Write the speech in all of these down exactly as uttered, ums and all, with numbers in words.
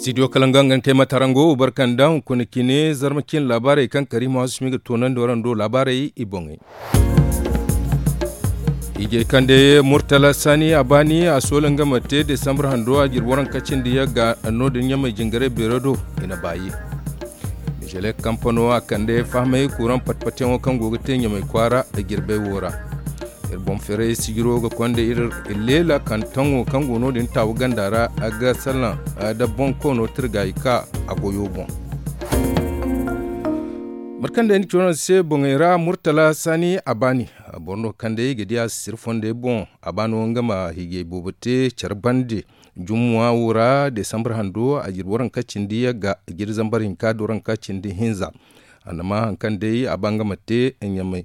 Studio kala nga nga kay matarango barkanda hunkuna cine zarma cine laabaarey kaŋ kariima hasumi ga toonandi warando laabaarey i boŋey. Ijey kande murtala sani a baani a soola nga ma te desambar hando a jirbi waranka cindi yagga no- din ɲamey jingaray beero do. I na baayi. Mižele kampano a kande fahamey kuuraŋ patpatyaŋo kaŋ go ga te ɲamey kwaara. Jirbey wo ra iri boŋ feeray sijiro ga konda iri leela kantaŋo kaŋ go no- din taawu ganda ra. Ga salaŋ da boŋ koono tirgaayi ka a goyo boŋ. Mate kaŋ day ni coono se boŋey ra murtala saani a baani. Boro no kaŋ day ga di a sisiri fondey boŋ a ba no nga ma hiijay boobo te care bande. Jummuwa wo ra desambar hando a jirbi waranka cindi yagga jiri zambar hinka da waranka cindi hinza. Annama hari kaŋ day a ba nga ma te ɲamay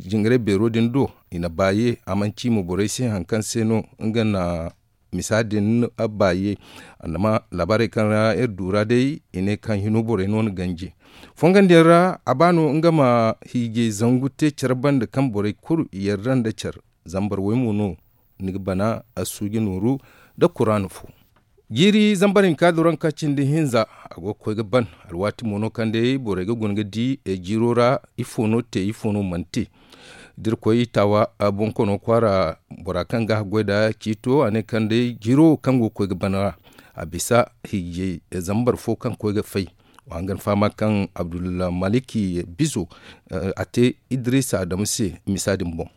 jingaray beero din do. I na baaye a mana ci mo borey se hari kaŋ se no nga na misa din baaye. Annama laabaarey kaŋ ra iri du ra day i ne kaŋ hino borey no na ganji fongandiyaŋ ra a ba no nga ma hiijay zangu te care bande kaŋ borey kulu yarda nda care zambar way mo no ni ga bana a suuji nooru nda kuraana fo. Jiiri zambar hinka da waranka cindi hinza a go ga koy ga ban alwaati mo no kaŋ day borey ga guna ga di jiiro ra ifo no te ifo no mana te. Da iri koy taawa bonkoono kwaara bora kaŋ ga haggoy nd'a ciito a ne kaŋ day jiiro kaŋ go ga koy ga ban ra a bisa hiijay zambar fo kaŋ ga koy ga fay. Wa hangan fahama kaŋ abdulmaliki bizo a te idiriisa adamu se misa din boŋ.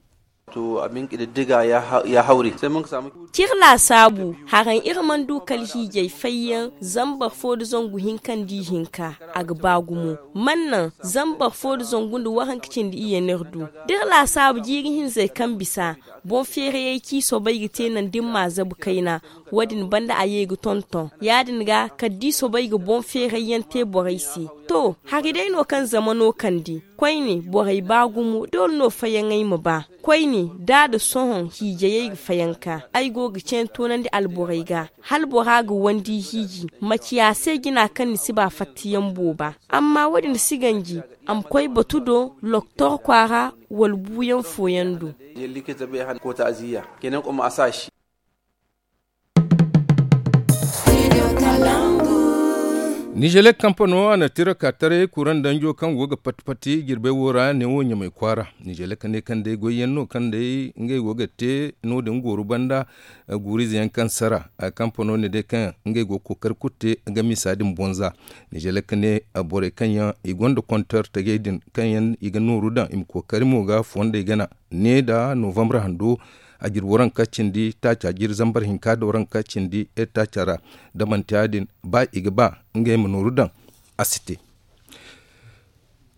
To abin kididdiga ya hauri sai mun ka samu. Cir laasaabu haraŋ iri mana du kala hiijay fayyaŋ zambar fo nda zangu hinka nda ihinka. A ga ba gumo mana naŋ zambar fo nda zangu nda waranka cindi iye no iri du. Da iri laasaabu jiiri hinzey kaŋ bisa boŋ feerayey ci soobay ga te naŋ da iri ma a zabu kayna. Wo- din banda a ye ga tonton ya- din ga kala da i soobay ga boŋ feeray yaŋ te borey se. To hari day no kaŋ zama no kande koyne borey ba gumo doole no fayaŋey ma ba. Koyne da a da sohõ hiijayey ga fayanka ay go ga ceene toonandi alborey ga hala bora ga wandi hiiji ma ciya se jina kaŋ ni si ba fattayaŋ booba. Amma wo- din si ganji a ma koy batu do loktor kwaara wala buuyaŋ fooyaŋ do. Nizelek kampano a na tira ka taray kuraŋ danjo kaŋ go ga pati pati jirbey wo ra neewo ɲamay kwaara. Nizelek ne kaŋ day goyyaŋ no kaŋ day ngey go ga te no- din gooru banda. Guurize yaŋ kaŋ sara kampano ne day kaŋ ngey go ga kookari kulu te ga misa din boŋ za. Nizelek ne borey kaŋ yaŋ i gonda kontor tajey din kaŋ yaŋ i ga nooru daŋ i ma kookari mo ga fondey gana ne nda novambre hando. A jiri waranka cindi taaca jiri zambar hinka nda waranka cindi taaca ra. Da manti ya- din ba i ga ba ngey ma nooru daŋ a si te.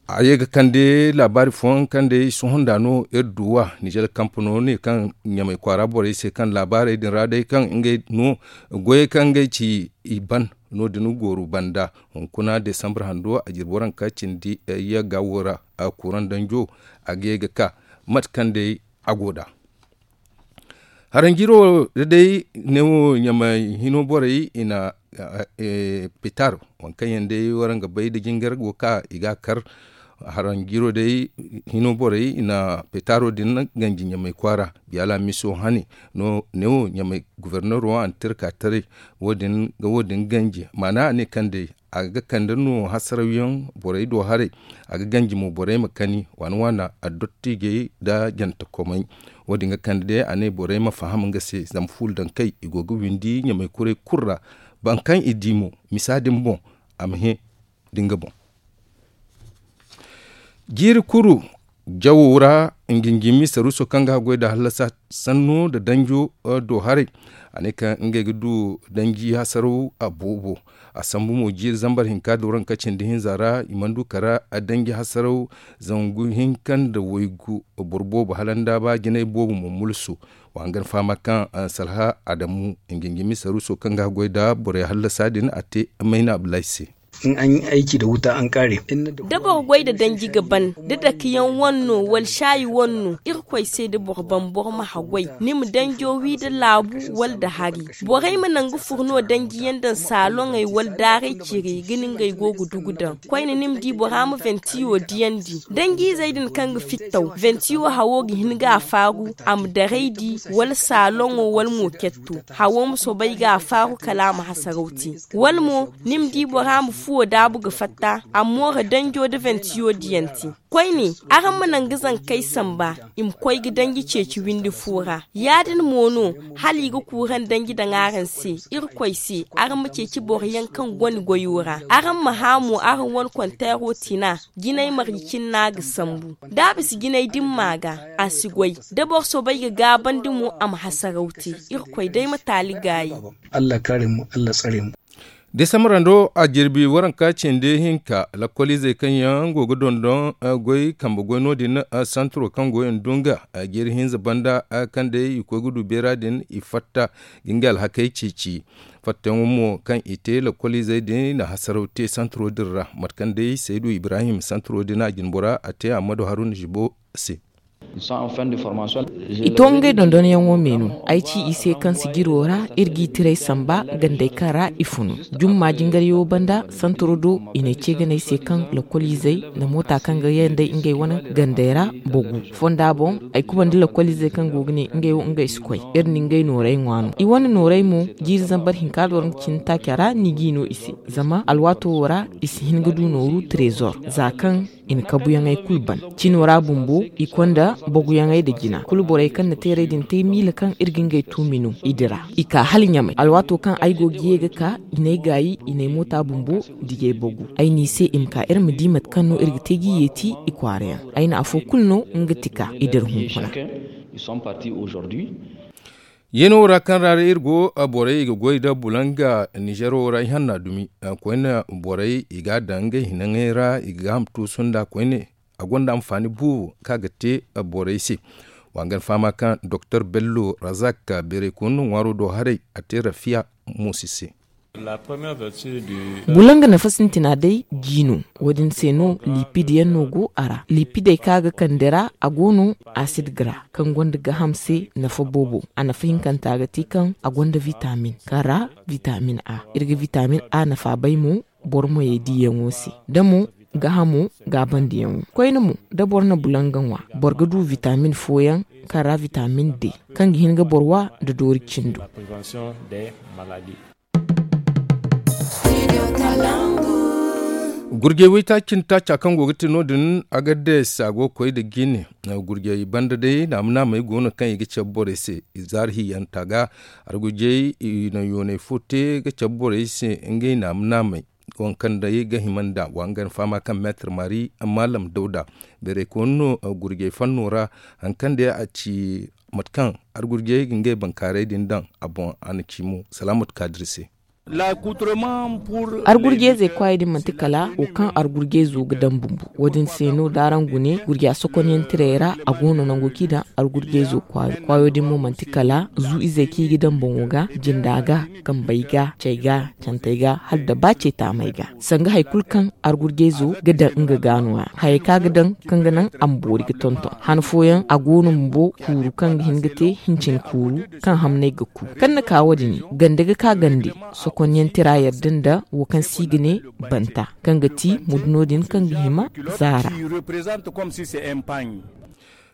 A ye ga kande laabaari fooyaŋ kaŋ day sohõ nda no iri duw'a nizer kampano ne kaŋ ɲamay kwaara borey se kaŋ laabaarey din ra day kaŋ ngey no goyey kaŋ ngey ci i ban. No- din gooru banda hunkuna desambar hando a jiri waranka cindi yagga wo ra. Kuraŋ danjo a ga ye ga ka mate kaŋ day a go nd'a. Haranjiro da day neewo ɲamay hino borey i na pitar waŋ kaŋ yaŋ day waraŋ ga bay da jingar go ka i ga a kar. Haranjiro day hino borey i na pitaro din ganji ɲamay kwaara. Biya laamiso hane no neewo ɲamay gubernero a na tira ka taray wo- din ga wo- din ganji maana a ne kaŋ day a ga kande no hasarawyaŋ borey do haray. A ga ganji mo borey ma kani waana waana addottijey nda jantakomey. Wo- din ga kande day a ne borey ma faham nga se zama fuula daŋ kay i go ga windi ɲamay kuray kulu ra. Boro kaŋ i di mo misa din boŋ a ma hẽ da nga boŋ. Jiiri kuru jawo ra nginjimi saruuso kaŋ ga haggoy nda hallasa sanno nda danjo do haray. A ne kaŋ ngey ga du danji hasaraw a boobo. A sambu mo jiiri zambar hinka da waranka cindi hinza ra i mana du kara danji hasaraw zangu hinka nda waygu. Boro boobo hala nda ba jinay boobo mo mulsu. Wa hangan fahama kaŋ salha adamu nginjimi saruuso kaŋ ga haggoy nda borey hallasa din a te mayna abdulahi se. in an yi aiki da wuta an kare. Da boro goy da danji ga ban da dake yaŋ wane no wala shaayi wane no, irkoy se da boro ban boro ma haggoy ni ma danjo wi da laabu wala da hari. Borey ma naŋ ga furno danji yaŋ daŋ saaloŋey wala daaray cire ga ni ngey go ga dugu daŋ. Koyne ni ma di bora ma ventiyo diyandi danji izey din kaŋ ga fittaw ventiyo hawo ga hin ga a faaru, a ma daray di wala saaloŋo wala mo ketto. Hawo ma soobay ga a faaru kala a ma hasaraw te. Wala mo ni ma di bora ma fuwo daabu ga fatta a ma moora danjo da ventiyo diyanti. Koyne, araŋ ma naŋ ga zankey samba i ma koy ga danji ceeci windi fo ra. Ya- din mo no, hala i ga kuuraŋ danji daŋ araŋ se. Irkoy se, araŋ ma ceeci boro yaŋ kaŋ go ni goyo ra. Araŋ ma hã mo araŋ wane konteero tina. Jinay marje cine no a ga sambu. Da a bisa jinay dimma ga, a si goy. Da boro soobay ga gaabandi mo, a ma hasaraw te. Irkoy day ma taali gaayi. Allah kaare mu, Allah tsare mu. Desambarando a jirbi waranka cindi hinka, lakkoliizey kaŋ yaŋ go ga dondon goy kambe goy no- din, santiro kaŋ go i na dunga, jeeri hinza banda kaŋ day i koy ga du beera din i fatta ga ngey alhakey ceeci. Fattayaŋo mo kaŋ i te lakkoliizey din na hasaraw te santiro din ra, mate kaŋ day saydu ibrahim santiro din a jinbora a te ammadu haruna zibo se. I to ngey dondonyaŋo me no. Ay ci i se kaŋ sijiro ra iri g'i tiray samba gandey kaŋ ra i funu. Jumma jingaryaŋo banda santoro do i n'ay ce ganey se kaŋ lakkoliizey nda moota kaŋ ga yandey ngey wane gandey ra bogu. Fonda boŋ ay kubandi lakkoliizey kaŋ go ga ne ngey wo ngey si koy. Iri na ngey nooray ŋwa no i wane nooray mo. Jiiri zambar hinka da war nga cine taaca ra ni g'i no i se. Zama alwaato wo ra i si hin ga du nooru trezor za kaŋ i na kabuyaŋey kulu ban. Cino ra bumbo i konda boguyaŋey nda jina kulu borey kaŋ na teerey din te miila kaŋ iri ga ngey tuumi no i dira. I ka hala ɲamay alwaato kaŋ ay go ga ye ga ka i n'ay gaayi i n'ay moota bumbo dijey bogu. Ay n'i se i ma ka iri ma di mate kaŋ no iri ga te g'i yeeti i kwaarayaŋ. Ay na afo kulu no nga tika i dira hunkuna. Yeeno ra kaŋ ra iri go borey i ga goy nda bulanga nizeero ra ihanna dumi. Koyne borey i ga a daŋ ngey hinaŋey ra i ga gaaham tuusu nda koyne. A gonda anfaani boobo kaŋ a ga te borey se. Wa ga ni fahama kaŋ doktor bello razak beeray koyne no ŋwaaro do haray a te rafiya. Moosi se. Bulanga nafa sintina day ji no. Wo- din se no lipid yaŋ no go a ra lipidey kaŋ a ga kande ra a go no asid ga ra kaŋ gonda gaaham se nafa boobo. A nafa hinkanta ga ti kaŋ a gonda vitamin kaŋ ra vitamin a iri ga vitamin a nafa bay mo. Boro moyey diyaŋo se da mo gaahamo gaabandiyaŋo koyne mo da boro na bulanga ŋwa boro ga du vitamin fooyaŋ kaŋ ra vitamin d kaŋ ga hin ga boro wa nda doori cindo. Gurjey waytaaci nda taaca kaŋ go ga te no- din agades a go ga koy nda jine. Gurjey banda day naama naamey go no kaŋ i ga cabe borey se. Zaari hiyanta ga argujey i na yoonay fo te ga cabe borey se ngey naama naamey. Waŋ kaŋ day ga hima nd'a wa nga na fahama kaŋ meetar maari maalam dawda beeray koyne no. Gurjey fanno ra haŋ kaŋ day a ci mate kaŋ argurjey ga ngey bankaaray din daŋ a boŋ a na ci mo. Salaamatu kaadir se. Argurjey zey kwaayey din manti kala wo kaŋ argurjey zo ga daŋ bumbo. Wo- din se no da araŋ gune gurja sokonyaŋ tirey ra a go no nango kaŋ i daŋ argurjey zo kwaayo kwaayo din mo manti kala zu izey kaŋ i ga daŋ boŋo ga jinda ga kambey ga cey ga cantey ga hala da ba cey taamey ga sanga hari kulu kaŋ argurjey zo ga daŋ nga ga no- ya hayey kaŋ a ga daŋ kaŋ ga naŋ a ma boori ga tonton han fooyaŋ a go no bumbo kuuru kaŋ ga hin ga te hincin kuuru kaŋ hamney ga ku kaŋ na ka wo- din gande ga ka gande sokonyaŋ tira yadda nda wo kaŋ se i ga ne banta kaŋ ga ti muduno din kaŋ ga hima zaara.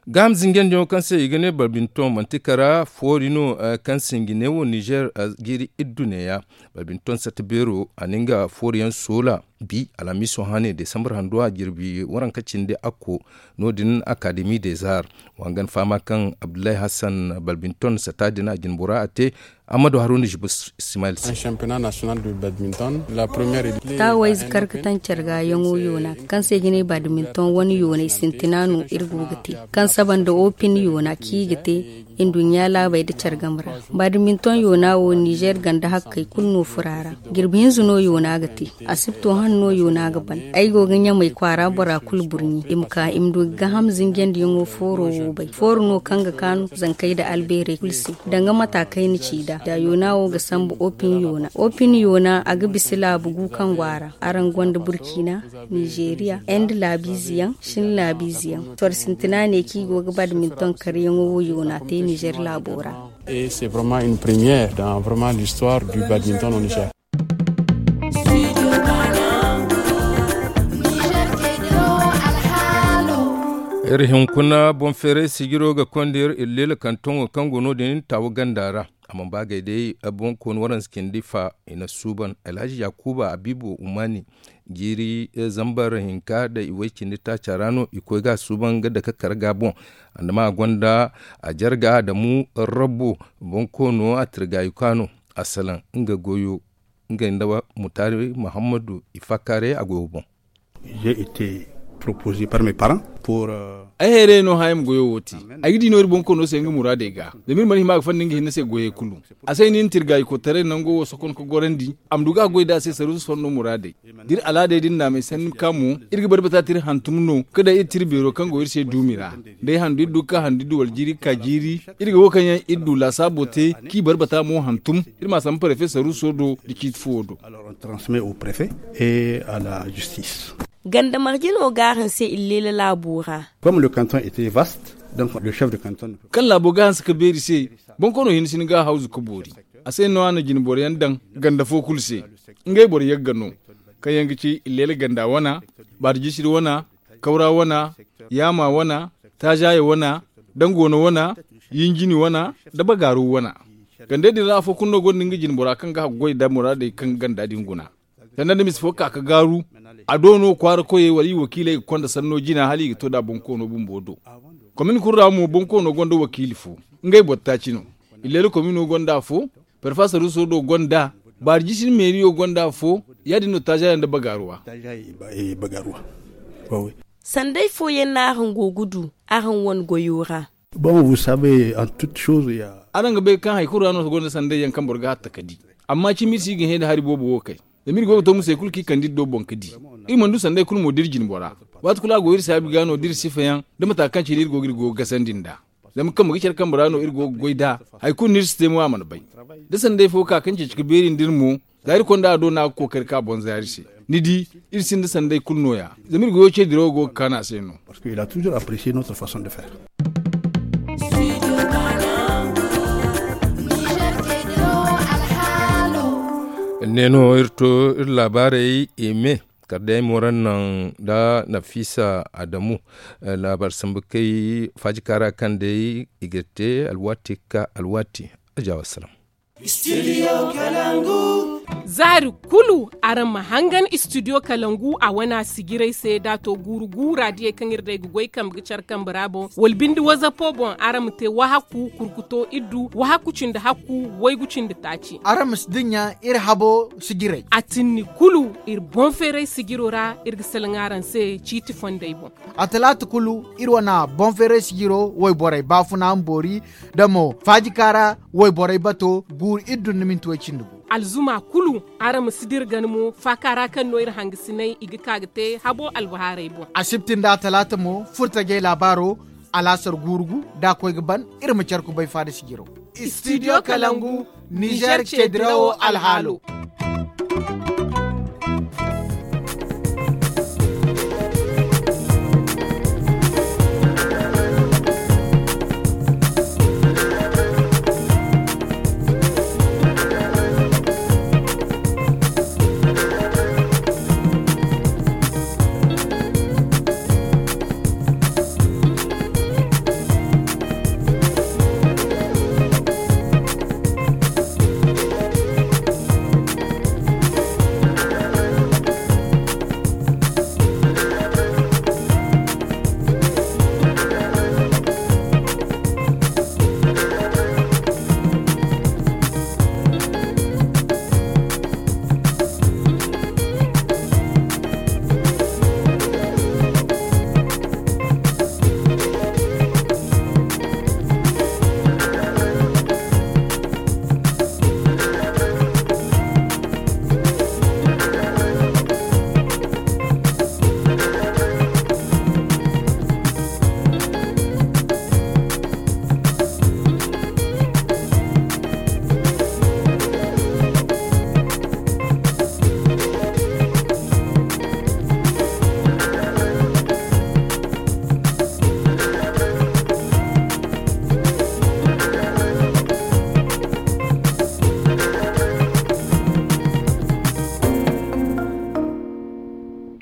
Gaaham zinjandiyaŋo kaŋ se i ga ne badminton manti kara foori no kaŋ se nga ne wo nizer jiiri iddu neeya. Badminton satta beero a na nga fooriyaŋ soola bi alhamiiso hane desambar hando a jirbi waranka cindi akko. No- din akademi des arts. Wa nga ni fahama kaŋ abdullahi hassan badminton satta din a jinbora a te. Ammadu haruna jibu ismail se. Taawayze kar ga taŋ care ga yaŋo yoona kaŋ se ga ne badminton wane yoonay sintina no iri go ga te kaŋ saba nda opin yoona kaŋ i ga te nduɲɲa laabey nda care game ra. Badminton yoona wo nizer ganda hakkey kulu no furo a ra. Jirbi hinza no yoona ga te. A si ga to. No yoona ga ban. Ay go ga ɲamay kwaara bora kulu burɲi i ma ka i ma du ga gaham zinjandiyaŋo fooro wo bay fooro no kaŋ ga kaanu zankey nda albeerey kulu se. Danga mata kaŋ ay na ci nd'a da yoona wo ga sambu opin yoona opin yoona a ga bisa laabu gu kaŋ go a ra. Araŋ gonda burkina, nizeeriya, inde laabiize yaŋ, shin laabiize yaŋ. Soro sintina ne kaŋ i go ga badminton karyaŋo wo yoona te nizeer laabo ra. Et c'est vraiment une première dans vraiment l'histoire du badminton au nizeer. Iri hunkuna boŋ feeray sijiro ga konda iri illeela kantoŋo kaŋ go no- din taawa ganda ra. A mana ba gay day boŋ kooni waranza cindi fa i na suuban alhaji yakuba abiibo umaani. Jiiri zambar hinka nda i way cindi taaca ra no i koy ga a suuban ga dake kar ga boŋ. Andama a gonda a jarga adamu rabbo boŋ koono a tirgaayu ka no a salaŋ nga goyo. Nga nda mutaari muhammadu i fakkaaray a goyo boŋ. J'ai été proposé par mes parents pour. Ay hayray no haya ma goyo wo te. Ay ga di no iri boŋ koono se nga muraadey ga zama iri mana hima ga fanda nga hinne se goyey kulu. A se ay na iri na tirgaayi kotaray nango wo sokon ga gorandi a ma du ga a goy nd'a se saruusu fondo muraadey. Da iri alaadey din naamay sanni ka mo iri ga barbata te iri hantum no ga daŋ iri te iri beero kaŋ go iri se duumi ra. Day handu iri du ga ka handu iri du wala jiiri ga ka jiiri. Iri ga wo kaŋ yaŋ iri du laasaabo te kaŋ i barbata mo hantum. Iri m'a sambu parefe saruuso do nda ciiti fuwo do. Alors on transmet au préfet et à la justice. Ganda marje no ga a hanse illeela laabo ra. Comme le canton était vaste donc le chef de canton. Kaŋ laabo ga hanse ga beeri se boŋ koono hinne si ni ga a hawzu ga boori. A se no a na jinboro yaŋ daŋ ganda fo kulu se. Ngey boro yagga no kaŋ yaŋ ga ci illeela ganda wana, baari jisiri wana, kawra wana, yaama wana, taazaaye wana, dangoona wana, yinjini wana, nda bagaaru wana. Gandey din ra afo kulu no gonda nga jinbora kaŋ ga haggoy nda muraadey kaŋ ganda din guna. Sanda nda mise fo ka ga gaaru, a do no kwaara koyey wala i wakiiley ga konda sanno jina hala i ga to nd'a boŋ koono bumbo do. Komin kulu ra mo boŋ koono gonda wakiili fo. Ngey boro taaci no. Illeela komino gonda afo. Parfa saruuso do gonda. Baari jisiri meeriyo gonda afo. Ya- din no taazaaye nda bagaaruwa. Sanday fooyaŋ no araŋ go ga du araŋ wane goyo ra. Bon vous savez en toute chose ya. Araŋ ga bay kaŋ hari kulu ra no gonda sanday yaŋ kaŋ boro ga hatta ga di. Amma cimi iri si ga hẽ nda hari boobo wo kay. Zama iri go ga to musey kulu kaŋ i kande iri do boŋ ga di. Iri mana du sanday kulu mo da iri jinbora. Waati kulu a go iri saabi ga no da iri sifa yaŋ da mata kaŋ cine iri go ga iri go ga gasandi nd'a. Zama kambe ga care kambe ra no iri go ga goy nd'a. Hari kulu no iri si te mo a mana bay. Da sanday fo ka kaŋ ceeci ga beeri nda iri mo. Za iri konda a do no a ga kookari ka boŋ zaari se. Ni di, iri sinda sanday kulu no- ya. Zama iri goyo ce dirawo go ga kaanu a se no. Parce que il a toujours apprécié notre façon de faire. Ne no iri to iri laabaarey i me. Kala day ay ma waraŋ naŋ nda nafisa adamu. Laabaari sambu kay faaji kaara kaŋ day i ga te alwaati ga ka alwaati. Aja wassalam. Zaari kulu araŋ ma hangan istidiyo kalangu a wana sijiray se da a to guuru guura diyey kaŋ iri day ga goy kambe ga care kambe ra boŋ wala binde wazapo boŋ araŋ ma te wahakku kurkuto iddu wahakku cindi hakku waygu cindi taaci. Araŋ ma si dinya iri habo sijiray a tinni kulu. Iri boŋ feeray sijiro ra iri ga salaŋ araŋ se ciiti fondey boŋ. A talaata kulu iri wana boŋ feeray sijiro wayborey baafuna ma boori da mo faaji kaara wayborey bato guuru iri dun ni minti way cindi gu. Alzuma kulu araŋ ma si dira gana mo faaka ra kaŋ no iri hangasinay i ga ka ga te habo albahaarey boŋ. Asibti nda a talaata mo furtajey laabaaro alaasar guuru gu da a koy ga ban. Iri ma care kubay faada sijiro. Istidiyo kalangu nizer ceedirawo alhaalo.